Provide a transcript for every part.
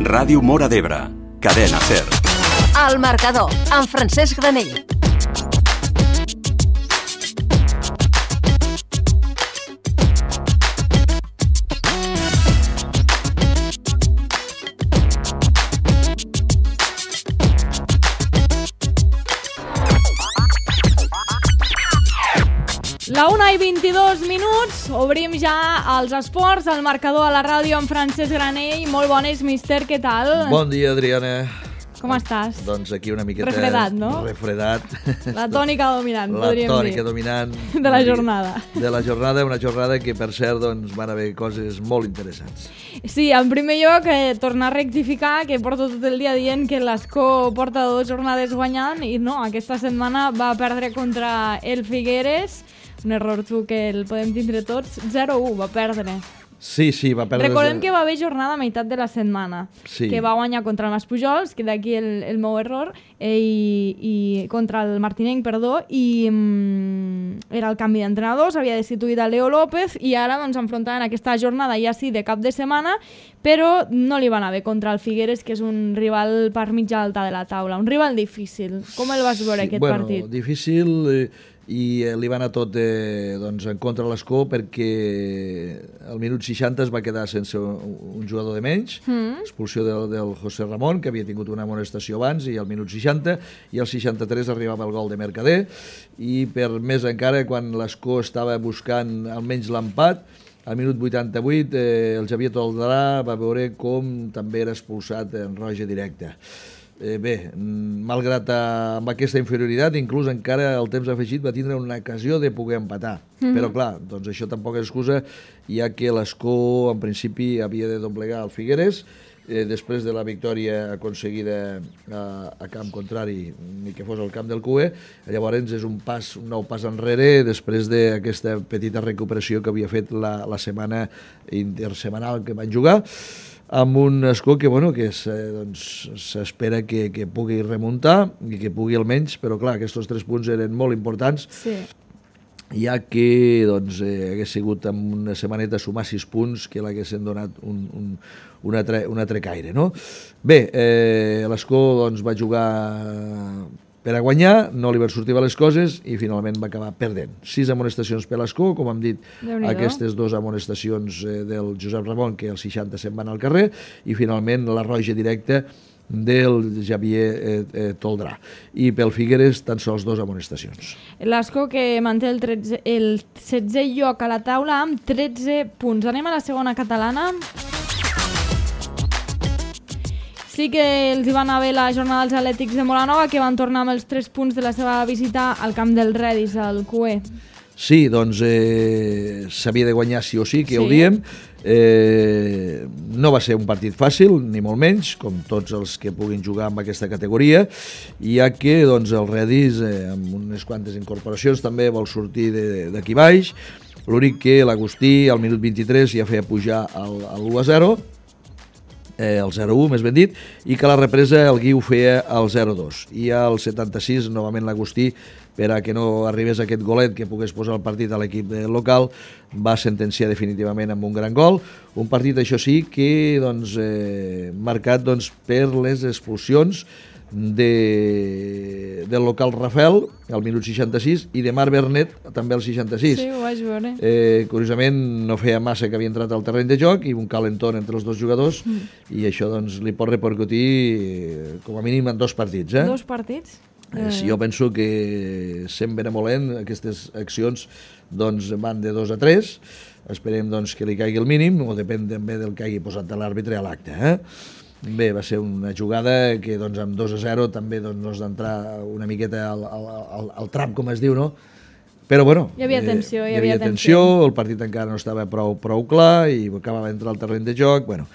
Ràdio Móra d'Ebre, Cadena SER. El marcador, amb Francesc Granell. La 1:22, obrim ja els esports, el marcador a la ràdio amb Francesc Granell. Molt bones, míster, què tal? Bon dia, Adriana. Com estàs? Doncs aquí una miqueta... Refredat, no? Refredat. La tònica dominant, podríem dir. La tònica dominant. De la jornada. De la jornada, una jornada que, per cert, doncs, van haver coses molt interessants. Sí, en primer lloc, tornar a rectificar, que porto tot el dia dient que l'Escó porta 2 jornades guanyant, i no, aquesta setmana va perdre contra el Figueres, un error que el podem tindre tots, 0-1 va perdre. Sí, va perdre... Recordem que va haver jornada a meitat de la setmana, sí. Que va guanyar contra el Maspujols, que d'aquí el meu error, i contra el Martinenc, perdó, i era el canvi d'entrenador, s'havia destituït a Leo López, i ara doncs enfrontaven aquesta jornada ja sí de cap de setmana, però no li va anar bé contra el Figueres, que és un rival per mitja alta de la taula, un rival difícil. Com el vas veure aquest partit? Bueno, difícil... i li va anar tot doncs, en contra de l'Escó perquè al minut 60 es va quedar sense un jugador de menys, expulsió del José Ramon, que havia tingut una amonestació abans, i al minut 60, i al 63 arribava el gol de Mercader, i per més encara, quan l'Escó estava buscant almenys l'empat, al minut 88 el Xavier Toldrà va veure com també era expulsat en roja directa. Bé, malgrat amb aquesta inferioritat, inclús encara el temps afegit va tindre una ocasió de poder empatar. Però clar, doncs això tampoc és excusa, ja que l'Escó en principi havia de doblegar el Figueres, després de la victòria aconseguida a camp contrari, ni que fos al camp del CUE. Llavors és un nou pas enrere després d'aquesta petita recuperació que havia fet la setmana intersemanal que van jugar, amb un Escó que s'espera que pugui remuntar i que pugui almenys, però clar, aquests 3 punts eren molt importants, sí. Ja que hagués sigut en una setmaneta sumar 6 punts que l'haguessin donat un altre caire, no? Bé, l'Escó va jugar per a guanyar, no li van sortir bé les coses i finalment va acabar perdent. 6 amonestacions per l'Escó, com hem dit, aquestes 2 amonestacions del Josep Ramon, que als 60 se'n van al carrer, i finalment la roja directa del Xavier Toldrà. I pel Figueres tan sols 2 amonestacions. L'Escó que manté el 16è lloc a la taula amb 13 punts. Anem a la segona catalana. Sí que els hi va anar bé la jornada dels Atlètics de Molanova, que van tornar amb els 3 punts de la seva visita al camp del Redis, al CUE. Sí, doncs s'havia de guanyar sí o sí, que ja ho diem. No va ser un partit fàcil, ni molt menys, com tots els que puguin jugar amb aquesta categoria, ja que el Redis, amb unes quantes incorporacions, també vol sortir d'aquí baix. L'únic que l'Agustí, al minut 23, ja feia pujar el 1-0, el 0-1, més ben dit, i que a la represa el Guiu feia el 0-2. I al 76, novament l'Agustí, per a que no arribés aquest golet que pogués posar el partit a l'equip local, va sentenciar definitivament amb un gran gol. Un partit, això sí, que marcat per les expulsions del local Rafel al minut 66 i de Marc Bernet també al 66. Sí, ho vaig veure. Curiosament no feia massa que havia entrat al terreny de joc i un calentón entre els 2 jugadors i això li pot repercutir com a mínim en 2 partits. 2 partits? Jo penso que sent benevolent aquestes accions van de 2 a 3. Esperem que li caigui el mínim, o depèn també del que hagi posat l'àrbitre a l'acte. Bé, va ser una jugada que amb 2-0 també no has d'entrar una miqueta al trap, com es diu, no? Però bueno, hi havia tensió, el partit encara no estava prou clar i acabava d'entrar al terreny de joc, bueno.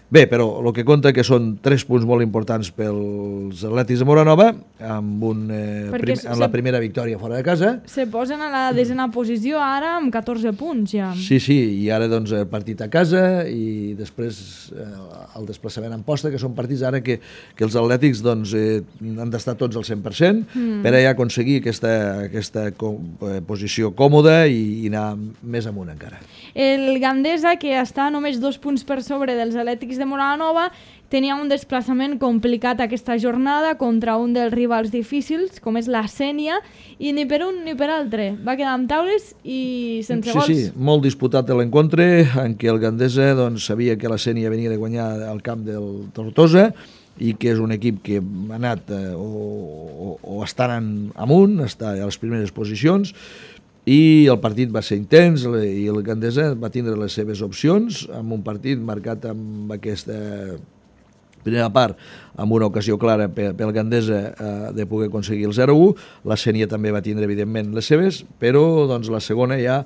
Bé, però el que compta que són 3 punts molt importants pels Atlètics de Moranova, amb la primera victòria fora de casa. Se posen a la 10a posició ara amb 14 punts ja. Sí, i ara el partit a casa i després el desplaçament en posta, que són partits ara que els Atlètics han d'estar tots al 100% per a aconseguir aquesta posició còmoda i anar més amunt encara. El Gandesa, que està només 2 punts per sobre dels Atlètics l'Àlex de Moralanova tenia un desplaçament complicat aquesta jornada contra un dels rivals difícils, com és la Sénia, i ni per un ni per altre. Va quedar amb taules i sense gols. Sí, molt disputat l'encontre, en què el Gandesa sabia que la Sénia venia de guanyar al camp del Tortosa i que és un equip que ha anat o està anant amunt, està a les primeres posicions, i el partit va ser intens i el Gandesa va tindre les seves opcions amb un partit marcat amb aquesta primera part amb una ocasió clara pel Gandesa de poder aconseguir el 0-1. La Sénia també va tindre, evidentment, les seves, però la segona ja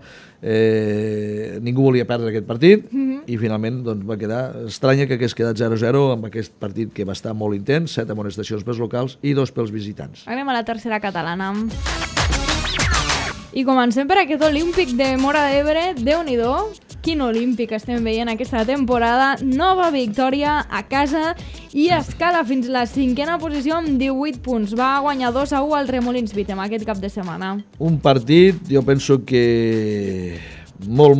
ningú volia perdre aquest partit i finalment va quedar estranya que hagués quedat 0-0 amb aquest partit que va estar molt intens, 7 amonestacions pels locals i 2 pels visitants. Anem a la tercera catalana. I comencem per aquest Olímpic de Móra d'Ebre. Déu-n'hi-do, quin Olímpic estem veient aquesta temporada. Nova victòria a casa i escala fins la 5a posició amb 18 punts. Va guanyar 2-1 al Remolins Vítem aquest cap de setmana. Un partit, jo penso que molt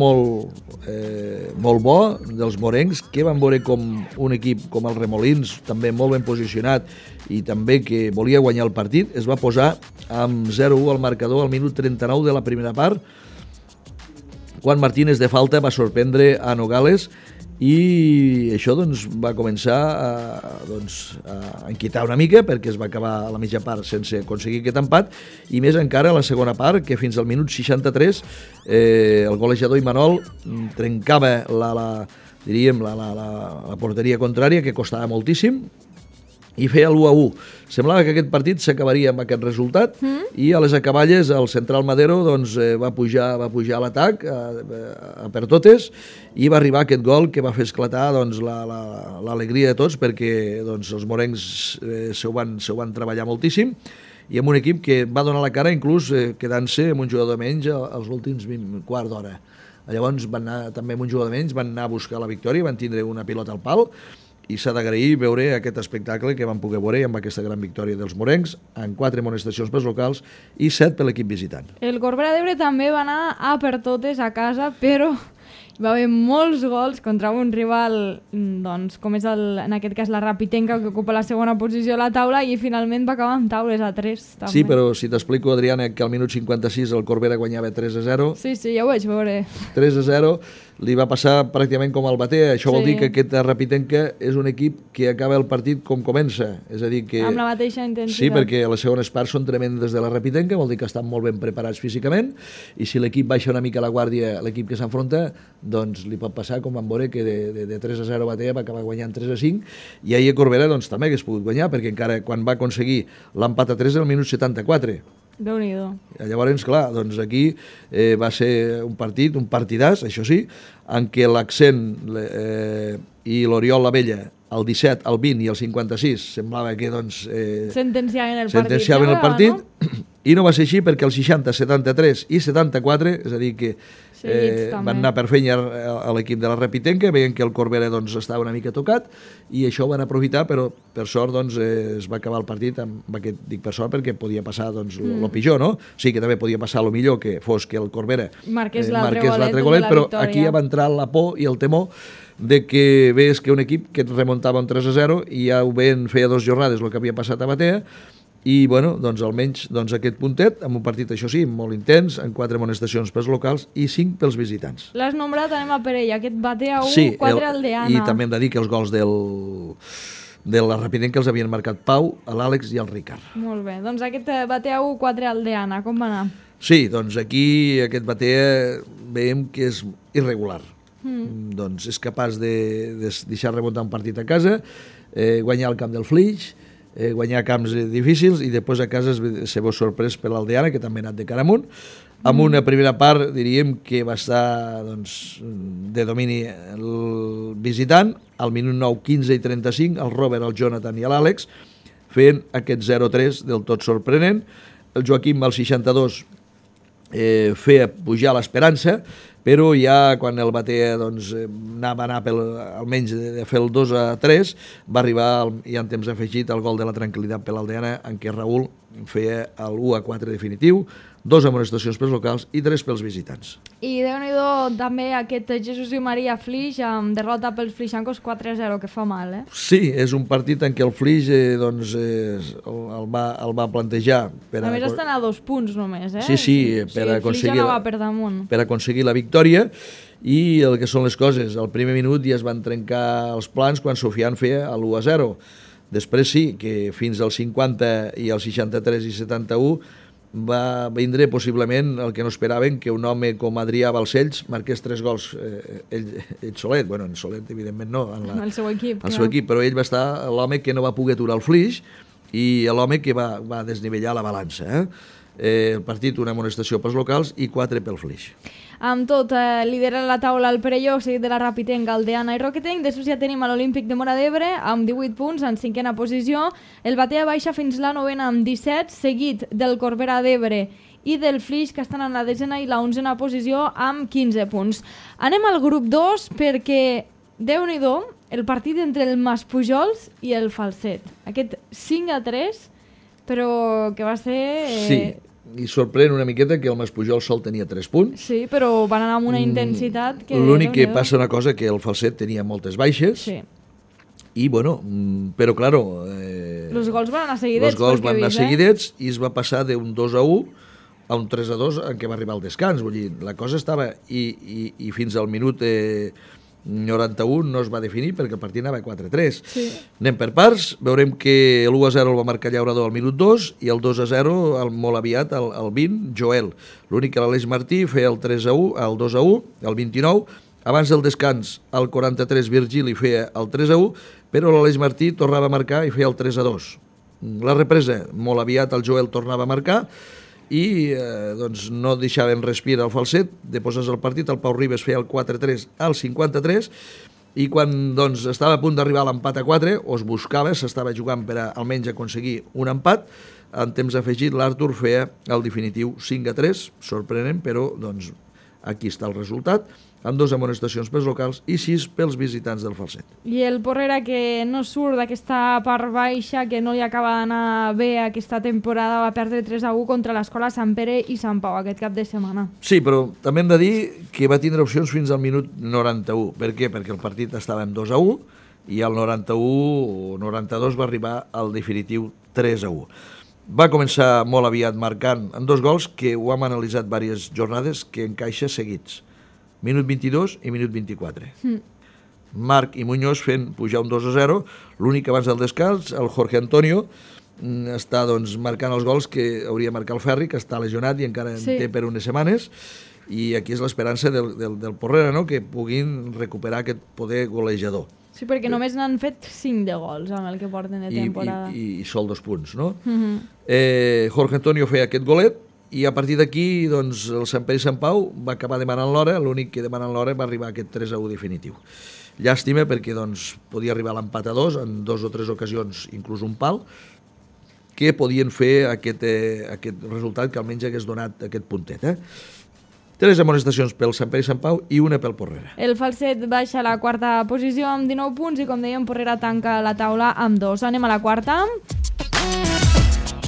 bo dels morencs, que van veure com un equip com el Remolins, també molt ben posicionat i també que volia guanyar el partit, es va posar amb 0-1 al marcador al minut 39 de la primera part, quan Martínez de falta va sorprendre a Nogales i això va començar a inquietar una mica perquè es va acabar a la mitja part sense aconseguir aquest empat i més encara a la segona part, que fins al minut 63 el golejador Imanol trencava la porteria contrària, que costava moltíssim, i feia l'1-1. Semblava que aquest partit s'acabaria amb aquest resultat i a les acaballes el central Madero va pujar a l'atac per totes i va arribar aquest gol que va fer esclatar l'alegria de tots perquè els morencs s'ho van treballar moltíssim i amb un equip que va donar la cara inclús quedant-se amb un jugador menys als últims quart d'hora. Llavors van anar també amb un jugador menys, van anar a buscar la victòria, van tindre una pilota al pal i s'ha d'agrair veure aquest espectacle que van poder veure amb aquesta gran victòria dels morencs, amb 4 amonestacions pels locals i 7 per l'equip visitant. El Corbera d'Ebre també va anar a per totes a casa, però hi va haver molts gols contra un rival, com és en aquest cas la Rapitenca, que ocupa la segona posició a la taula, i finalment va acabar amb taules a 3. També. Sí, però si t'explico, Adriana, que al minut 56 el Corbera guanyava 3-0. Sí, ja ho vaig veure. 3-0, li va passar pràcticament com al Batea. Això vol dir que aquest Rapitenca és un equip que acaba el partit com comença. És a dir que... Amb la mateixa intensitat. Sí, perquè les segones parts són tremendes de la Rapitenca, vol dir que estan molt ben preparats físicament, i si l'equip baixa una mica la guàrdia, l'equip que s'enfronta, doncs li pot passar com vam veure que de 3-0 Batea va acabar guanyant 3-5, i ahir a Corbera també hagués pogut guanyar, perquè encara quan va aconseguir l'empat a 3 al minut 74. Déu-n'hi-do. Llavors, clar, aquí va ser un partit, un partidàs, això sí, en què l'Accent i l'Oriol Lavella, el 17, el 20 i el 56, semblava que sentenciaven el partit, no? I no va ser així perquè el 60, 73 i 74, és a dir que van anar per feina a l'equip de la Rapitenca, veient que el Corbera estava una mica tocat i això ho van aprofitar, però per sort es va acabar el partit amb aquest, dic per sort perquè podia passar el pitjor, no? Sí que també podia passar el millor, que fos que el Corbera marqués l'altre golet, però aquí ja va entrar la por i el temor de que veies que un equip que et remuntava un 3-0 i ja ho veien, feia 2 jornades el que havia passat a Batea, i almenys aquest puntet amb un partit, això sí, molt intens, amb 4 amonestacions pels locals i 5 pels visitants. L'has nombrat, anem a per ell, aquest Batea 1, 4 Aldeana. I també hem de dir que els gols de la Rapitenca els havien marcat Pau, l'Àlex i el Ricard. Molt bé, doncs aquest Batea 1, 4 Aldeana, com va anar? Sí, aquí aquest Batea veiem que és irregular. És capaç de deixar remuntar un partit a casa, guanyar el camp del Flix, guanyar camps difícils i després a casa se veu sorprès per l'Aldeana, que també ha anat de cara amunt, amb una primera part diríem que va estar de domini el visitant, al minut 9, 15 i 35 el Robert, el Jonathan i l'Àlex fent aquest 0-3 del tot sorprenent. El Joaquim al 62 feia pujar l'Esperança, però ja quan el Batea va anar almenys de fer el 2-3, va arribar ja en temps afegit el gol de la tranquil·litat per l'Aldeana, en què Raül feia el 1-4 definitiu, 2 amonestacions pels locals i 3 pels visitants. I Déu-n'hi-do també aquest Jesús i Maria Flix amb derrota pels flixancos 4-0, que fa mal, eh? Sí, és un partit en què el Flix el va plantejar. A més estan a 2 punts només, eh? Sí, per aconseguir la victòria. I el que són les coses, al primer minut ja es van trencar els plans quan Sofian feia l'1-0. Després sí, que fins al 50 i al 63 i 71 va vindre possiblement el que no esperaven, que un home com Adrià Balcells marqués 3 gols ell solet, bueno, en solet evidentment no, el seu equip, però ell va estar l'home que no va poder aturar el Flix i l'home que va desnivellar la balança. El partit, una amonestació pels locals i 4 pel Flix. Amb tot, lidera la taula el Perelló, seguit de la Rapitenc, Galdeana i Roquetenc. Després ja tenim l'Olímpic de Móra d'Ebre amb 18 punts en 5a posició. El Batea baixa fins la 9a amb 17, seguit del Corbera d'Ebre i del Flix, que estan en la 10a i la 11a posició amb 15 punts. Anem al grup 2 perquè, Déu-n'hi-do, el partit entre el Maspujols i el Falset. Aquest 5-3, però que va ser... Sí. I sorprèn una miqueta que el Maspujol sol tenia 3 punts. Sí, però van anar amb una intensitat que... L'únic que passa una cosa, que el Falset tenia moltes baixes. Sí. I, bueno, però, claro... Els gols van anar seguidets. Els gols van anar seguidets i es va passar d'un 2-1 a un 3-2 en què va arribar el descans. Vull dir, la cosa estava... I fins al minut 91 no es va definir perquè el partit anava 4-3. Sí. Anem per parts, veurem que l'1-0 el va marcar Llaurador al minut 2 i el 2-0 molt aviat al 20, Joel. L'únic que l'Aleix Martí feia el 3-1, el 2-1, el 29, abans del descans al 43 Virgili feia el 3-1, però l'Aleix Martí tornava a marcar i feia el 3-2. La represa, molt aviat el Joel tornava a marcar i doncs no deixaven respirar el Falset, de posar el partit, el Pau Ribes feia el 4-3 al 53 i quan doncs, estava a punt d'arribar a l'empat a 4, o es buscava, s'estava jugant per almenys aconseguir un empat, en temps afegit l'Artur feia el definitiu 5-3, sorprenent, però doncs, aquí està el resultat, amb 2 amonestacions pels locals i 6 pels visitants del Falset. I el Porrera, que no surt d'aquesta part baixa, que no li acaba d'anar bé aquesta temporada, va perdre 3-1 contra l'Escola Sant Pere i Sant Pau aquest cap de setmana. Sí, però també hem de dir que va tindre opcions fins al minut 91. Per què? Perquè el partit estava en 2-1 i al 91 o 92 va arribar al definitiu 3-1. Va començar molt aviat marcant en 2 gols que ho hem analitzat diverses jornades, que encaixa seguits. Minut 22 i minut 24. Marc i Muñoz fent pujar un 2-0, l'únic abans del descans, el Jorge Antonio està doncs, marcant els gols que hauria de marcar el Ferri, que està lesionat i encara en té per unes setmanes, i aquí és l'esperança del Porrera, no? Que puguin recuperar aquest poder golejador. Sí, perquè només n'han fet 5 de gols amb el que porten de temporada. I sol 2 punts, no? Jorge Antonio feia aquest golet, i a partir d'aquí doncs, el Sant Pere i Sant Pau va acabar demanant l'hora, l'únic que demanant l'hora va arribar a aquest 3-1 definitiu. Llàstima perquè doncs, podia arribar a l'empat a 2 en 2 o 3 ocasions, inclús un pal, que podien fer aquest resultat que almenys hagués donat aquest puntet. 3 amonestacions pel Sant Pere i Sant Pau i una pel Porrera. El Falset baixa a la 4a posició amb 19 punts i, com dèiem, Porrera tanca la taula amb 2. Anem a la 4a.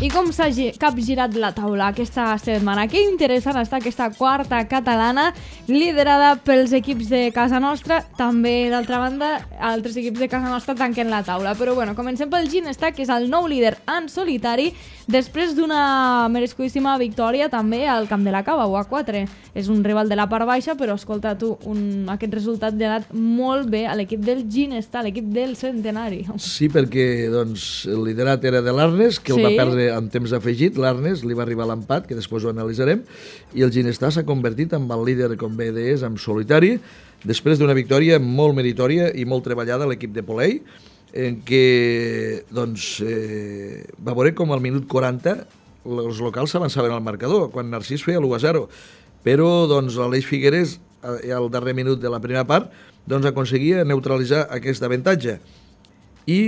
I com s'ha capgirat la taula aquesta setmana? Que interessant està aquesta 4a catalana, liderada pels equips de casa nostra. També, d'altra banda, altres equips de casa nostra tanquen la taula. Però bueno, comencem pel Ginestar, que és el nou líder en solitari, després d'una merescudíssima victòria també al Camp de la Cava, 1-4. És un rival de la part baixa, però escolta tu, aquest resultat li ha anat molt bé a l'equip del Ginestar, l'equip del centenari. Sí, perquè doncs, el liderat era de l'Arnes, que el va perdre en temps afegit. L'Arnes li va arribar l'empat, que després ho analitzarem, i el Ginestar s'ha convertit en el líder, com bé deies, en solitari, després d'una victòria molt meritòria i molt treballada a l'equip de Polei, en què doncs, va veure com al minut 40 els locals s'avançaven al marcador, quan Narcís feia l'1-0, però doncs, l'Aleix Figueres, al darrer minut de la primera part, doncs, aconseguia neutralitzar aquest avantatge. I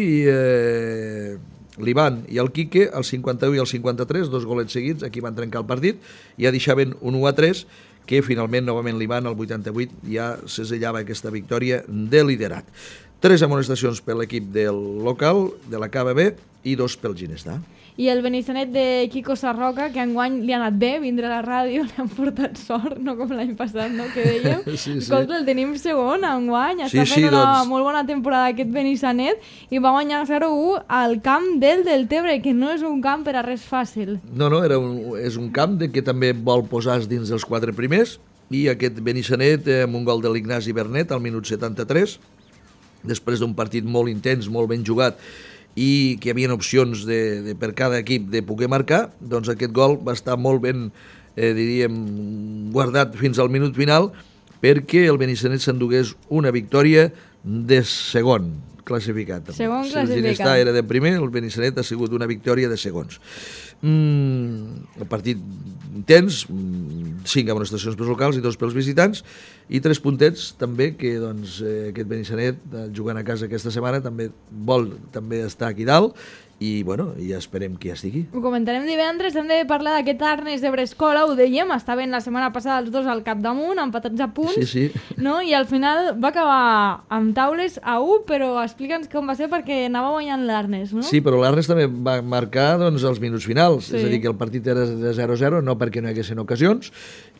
l'Ivan i el Quique, el 51 i el 53, 2 golets seguits, aquí van trencar el partit, ja deixaven un 1-3, que finalment, novament l'Ivan, al 88, ja segellava aquesta victòria de liderat. 3 amonestacions per l'equip del local, de la KBB, i 2 pel Ginestà. I el Benissanet de Quico Sarroca, que enguany li ha anat bé vindre a la ràdio, li han portat sort, no com l'any passat, no? Que dèiem. Sí. Escolta, el tenim segon enguany, està fent una molt bona temporada aquest Benissanet i va guanyar 0-1 al camp del Deltebre, que no és un camp per a res fàcil. No, és un camp que també vol posar dins dels 4 primers, i aquest Benissanet amb un gol de l'Ignasi Bernet al minut 73, després d'un partit molt intens, molt ben jugat, i que hi havia opcions per cada equip de poder marcar, doncs aquest gol va estar molt ben, diríem, guardat fins al minut final, perquè el Benissanet s'endugués una victòria de segon classificat. Segon classificat. Si el Ginestà era de primer, el Benissanet ha sigut una victòria de segons. El partit intens, 5 amonestacions pels locals i 2 pels visitants, i 3 puntets també, que doncs, aquest Benissanet, jugant a casa aquesta setmana, també vol estar aquí dalt, i bueno, ja esperem que ja estigui. Ho comentarem divendres, hem de parlar d'aquest Arnes de Brescola, ho dèiem, estaven la setmana passada els dos al capdamunt, empatats a punts, sí. No? I al final va acabar amb taules a 1, però explica'ns com va ser perquè anava guanyant l'Arnes, no? Sí, però l'Arnes també va marcar doncs, els minuts finals, sí. És a dir, que el partit era de 0-0, no perquè no hi haguessin ocasions,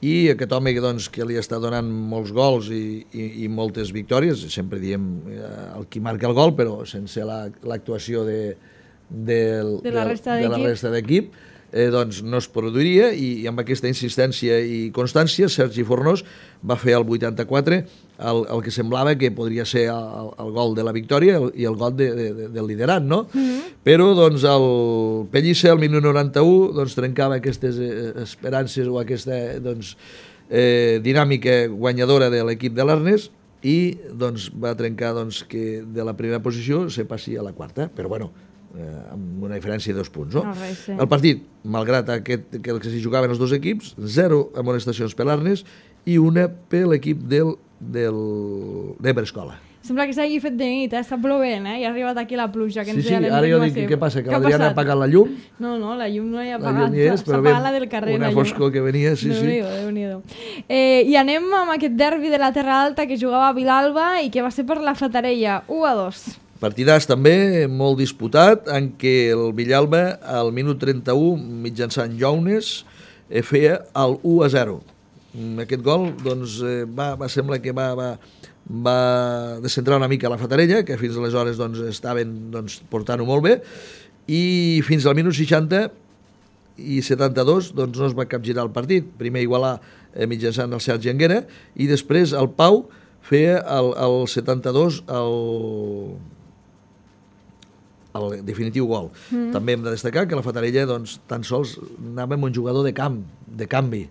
i aquest home doncs, que li està donant molts gols i moltes victòries, sempre diem el qui marca el gol, però sense l'actuació de la resta d'equip, doncs no es produiria, i amb aquesta insistència i constància Sergi Fornós va fer el 84 el que semblava que podria ser el gol de la victòria i el gol del liderat, no? Però doncs el Pellicer al minut 91 doncs, trencava aquestes esperances o aquesta doncs, dinàmica guanyadora de l'equip de l'Arnes, i doncs, va trencar doncs, que de la primera posició se passi a la quarta, però bueno, amb una diferència de 2 punts. No? Sí. El partit, malgrat que s'hi jugaven els dos equips, 0 amonestacions per l'Arnes i 1 per l'equip de Brescola. Sembla que s'hagi fet de nit, està plovent, i ha arribat aquí la pluja. Que sí, ara jo dic, què passa, que l'Adriana ha apagat la llum? No, la llum no hi ha apagat, s'ha apagat la del carrer. Una foscor que venia, sí. Déu-n'hi-do. I anem amb aquest derbi de la Terra Alta que jugava a Vilalba i que va ser per la Fatarella, 1-2. Partidàs també, molt disputat, en què el Villalba, al minut 31, mitjançant Jounes, feia el 1-0. Aquest gol, doncs, va semblar que va descentrar una mica la Fatarella, que fins aleshores doncs, estaven portant-ho molt bé, i fins al minut 60 i 72 doncs, no es va capgirar el partit. Primer igualar mitjançant el Sergi Anguera, i després el Pau feia el 72 el definitiu gol. També hem de destacar que la Fatarella doncs, tan sols anava amb un jugador de canvi.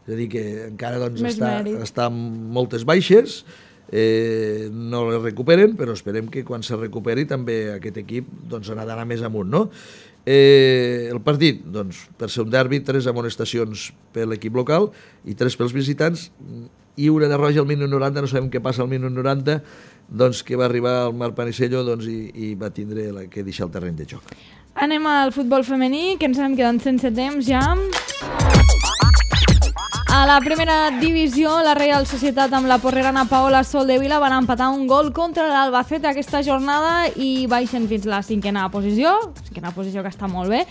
És a dir, que encara doncs, està amb moltes baixes, no les recuperen, però esperem que quan se recuperi també aquest equip doncs, ha d'anar més amunt. No? El partit, doncs, per ser un derbi, 3 amonestacions per l'equip local i 3 pels visitants, i una de roja al minut 90, no sabem què passa al minut 90, doncs que va arribar el Marc Panisello doncs, i va tindre que deixar el terreny de joc. Anem al futbol femení, que ens anem quedant sense temps ja. A la primera divisió, la Reial Societat amb la porrerana Paola Soldevila van empatar un gol contra l'Albacete aquesta jornada i baixen fins a la cinquena posició que està molt bé.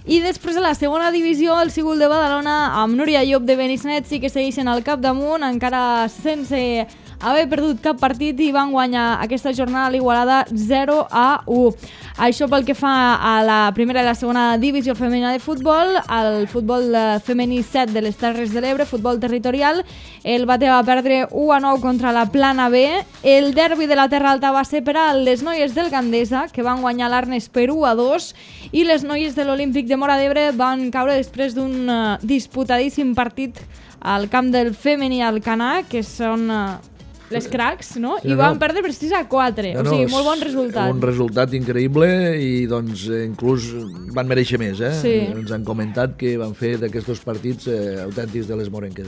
I després a la segona divisió, el Sigul de Badalona amb Núria Llop de Benissanet sí que segueixen al capdamunt, encara sense haver perdut cap partit, i van guanyar aquesta jornada a l'Igualada 0-1. Això pel que fa a la primera i la segona divisió femenina de futbol. El futbol femení 7 de les Terres de l'Ebre, futbol territorial, el Bate va perdre 1-9 contra la Plana B. El derbi de la Terra Alta va ser per a les noies del Gandesa, que van guanyar l'Arnes per 1-2, i les noies de l'Olímpic de Móra d'Ebre van caure després d'un disputadíssim partit al camp del femení Alcanar, que són les cracs, no? Sí, i van perdre per 6-4, o sigui, molt bon resultat. Un resultat increïble, i doncs inclús van mereixer més, Sí. Ens han comentat que van fer d'aquests partits autèntics de les morenques,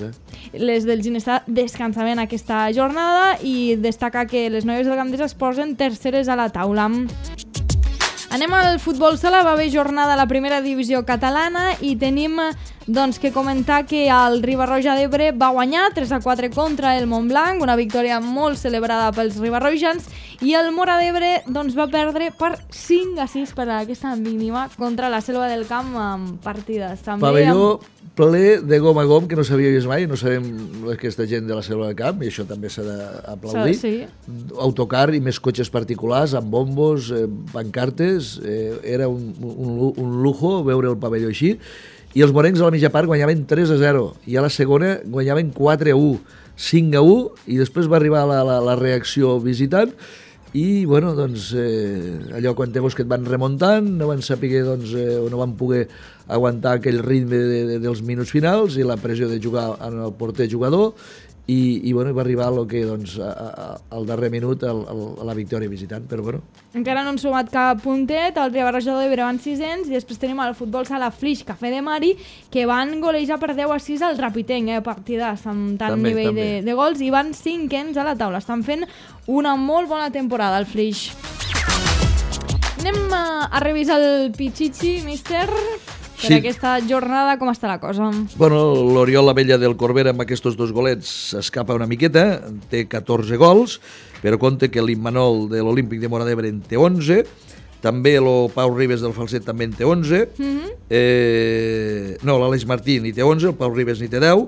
Les del Ginestà descansaven aquesta jornada, i destacar que les noies del Gandesa es posen terceres a la taula. Anem al futbol sala, va haver jornada a la primera divisió catalana i tenim doncs, que comentar que el Riba-roja d'Ebre va guanyar 3-4 contra el Montblanc, una victòria molt celebrada pels ribarrojans, i el Móra d'Ebre doncs, va perdre per 5-6 per aquesta mínima contra la Selva del Camp amb partides. També Pavelló ple de gom a gom, que no s'havia vist mai, no sabem aquesta gent de la Selva del Camp, i això també s'ha d'aplaudir. Sí. Autocar i més cotxes particulars, amb bombos, pancartes, era un lujo veure el pavelló així, i els morencs a la mitja part guanyaven 3-0, i a la segona guanyaven 4-1, 5-1, i després va arribar la reacció visitant, i bueno, doncs, allò quan te veus que et van remuntant, no van saber doncs, o no van poder aguantar aquell ritme dels minuts finals i la pressió de jugar en el porter jugador, i bueno, va arribar doncs, al darrer minut a la victòria visitant, però bueno. Encara no han sumat cap puntet, el Riabarrejador d'Ebre van 600, i després tenim el futbol sala Flix Cafè de Mari, que van golejar per 10-6 al Rapitenc, partides amb tant també, nivell també. de gols, i van 5ens a la taula. Estan fent una molt bona temporada al Flix. Anem a revisar el Pichichi, míster. Per aquesta jornada, com està la cosa? Bueno, l'Oriol Abella del Corbera amb aquests 2 golets s'escapa una miqueta, té 14 gols, però compte que l'Immanol de l'Olímpic de Móra d'Ebre en té 11, també el Pau Ribes del Falset també en té 11, no, l'Aleix Martí n'hi té 11, el Pau Ribes n'hi té 10,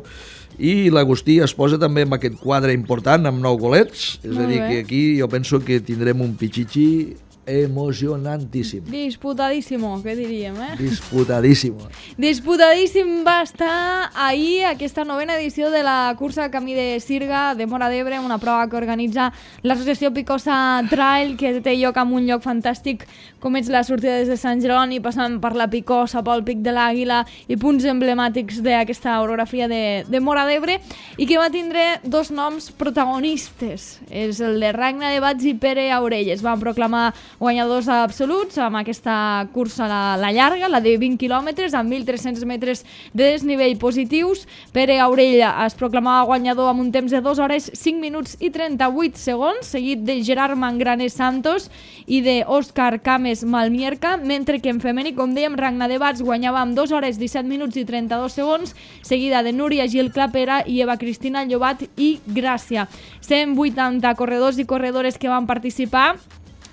i l'Agustí es posa també amb aquest quadre important, amb 9 golets, és a dir, que aquí jo penso que tindrem un Pichichi emocionantíssim. Disputadíssimo, què diríem, Disputadíssimo. Disputadíssim va estar ahir aquesta 9ª edició de la cursa Camí de Sirga de Móra d'Ebre, una prova que organitza l'associació Picosa Trail, que té lloc en un lloc fantàstic com és la sortida des de Sant Jeroni, passant per la Picosa, pel Pic de l'Àguila i punts emblemàtics d'aquesta orografia de Móra d'Ebre, i que va tindre 2 noms protagonistes. És el de Ragna de Bats i Pere Aurell. Es van proclamar guanyadors absoluts amb aquesta cursa la llarga, la de 20 quilòmetres, amb 1.300 metres de desnivell positius. Pere Aurell es proclamava guanyador amb un temps de 2 hores, 5 minuts i 38 segons, seguit de Gerard Mangranes Santos i de Òscar Cames Malmierca, mentre que en femení, com dèiem, Ragna de Bats guanyava amb 2 hores, 17 minuts i 32 segons, seguida de Núria Gil Clapera i Eva Cristina Llobat i Gràcia. 180 corredors i corredores que van participar,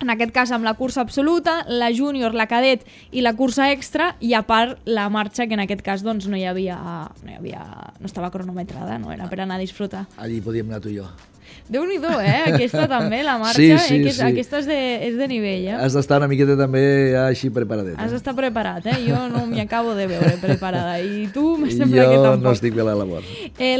en aquest cas amb la cursa absoluta, la júnior, la cadet i la cursa extra, i a part la marxa, que en aquest cas doncs, no estava cronometrada, no era per anar a disfrutar. Allí podíem anar tu i jo. Déu-n'hi-do, aquesta també, la marxa, sí. aquesta és de nivell. Has d'estar una miqueta també així preparadet. Has d'estar preparat, jo no m'hi acabo de veure preparada, i tu me sembla que tampoc. Jo no estic bé a la labor.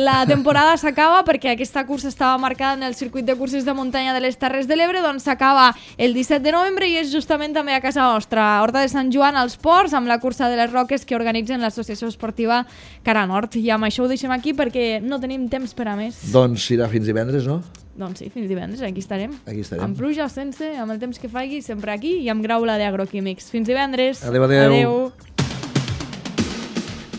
La temporada s'acaba perquè aquesta cursa estava marcada en el circuit de curses de muntanya de les Terres de l'Ebre, doncs s'acaba el 17 de novembre i és justament també a casa nostra, a Horta de Sant Joan, als Ports, amb la cursa de les Roques que organitzen l'associació esportiva Cara Nord. I amb això ho deixem aquí perquè no tenim temps per a més. Doncs serà fins divendres, no? Doncs sí, fins divendres, aquí estarem. Aquí estarem. Amb pluja o sense, amb el temps que faci, sempre aquí i amb Graula d'Agroquímics. Fins divendres. Adéu.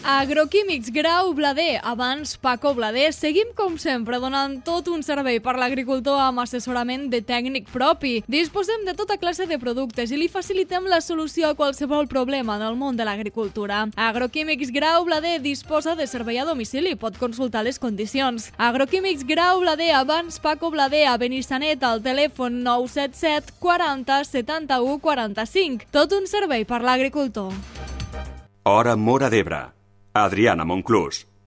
Agroquímics Grau Blader, abans Paco Blader. Seguim com sempre donant tot un servei per l'agricultor amb assessorament de tècnic propi. Disposem de tota classe de productes i li facilitem la solució a qualsevol problema en el món de l'agricultura. Agroquímics Grau Blader disposa de servei a domicili, pot consultar les condicions. Agroquímics Grau Blader, abans Paco Blader, a Benissanet, al telèfon 977 40 71 45. Tot un servei per l'agricultor. Hora Móra d'Ebre. Adriana Monclús.